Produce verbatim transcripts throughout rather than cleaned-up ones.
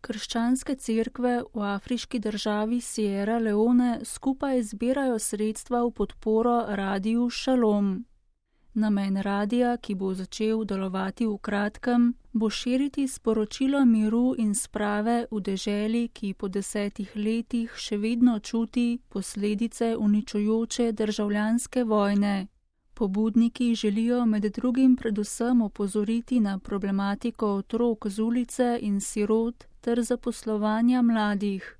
Krščanske cerkve v afriški državi Sierra Leone skupaj zbirajo sredstva v podporo Radiu Šalom. Namen radija, ki bo začel delovati v kratkem, bo širiti sporočilo miru in sprave v deželi, ki po desetih letih še vedno čuti posledice uničujoče državljanske vojne. Pobudniki želijo med drugim predvsem opozoriti na problematiko otrok z ulice in sirot ter zaposlovanja mladih.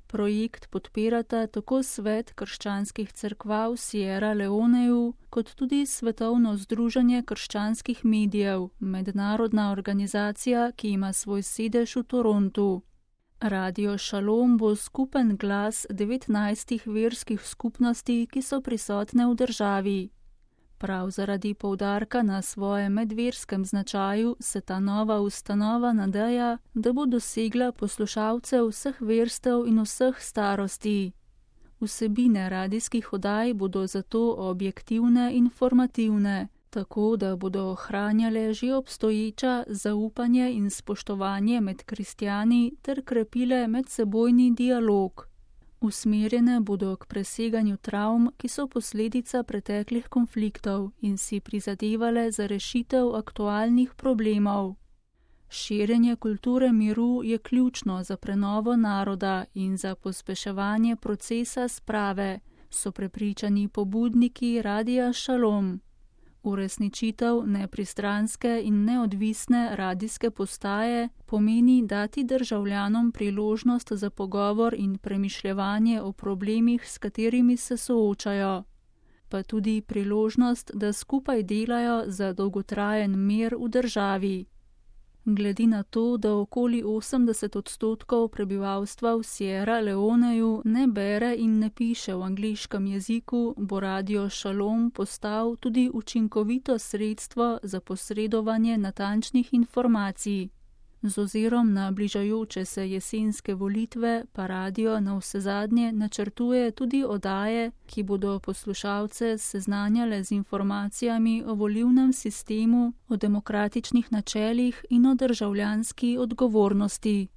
Projekt podpirata tako Svet krščanskih cerkva v Sierra Leoneju, kot tudi Svetovno združenje krščanskih medijev, mednarodna organizacija, ki ima svoj sedež v Torontu. Radio Šalom bo skupen glas devetnajstih verskih skupnosti, ki so prisotne v državi. Prav zaradi poudarka na svojem medverskem značaju se ta nova ustanova nadeja, da bo dosegla poslušalce vseh verstev in vseh starosti. Vsebine radijskih oddaj bodo zato objektivne in informativne, tako da bodo ohranjale že obstoječa zaupanje in spoštovanje med kristjani ter krepile medsebojni dialog. Usmerjene bodo k preseganju travm, ki so posledica preteklih konfliktov in si prizadevale za rešitev aktualnih problemov. Širjenje kulture miru je ključno za prenovo naroda in za pospeševanje procesa sprave, so prepričani pobudniki Radia Šalom. Uresničitev nepristranske in neodvisne radijske postaje pomeni dati državljanom priložnost za pogovor in premišljevanje o problemih, s katerimi se soočajo, pa tudi priložnost, da skupaj delajo za dolgotrajen mir v državi. Glede na to, da okoli osemdeset odstotkov prebivalstva v Sierra Leoneju ne bere in ne piše v angleškem jeziku, bo Radio Šalom postal tudi učinkovito sredstvo za posredovanje natančnih informacij. Z ozirom na bližajoče se jesenske volitve pa radio navsezadnje načrtuje tudi oddaje, ki bodo poslušalce seznanjale z informacijami o volilnem sistemu, o demokratičnih načelih in o državljanski odgovornosti.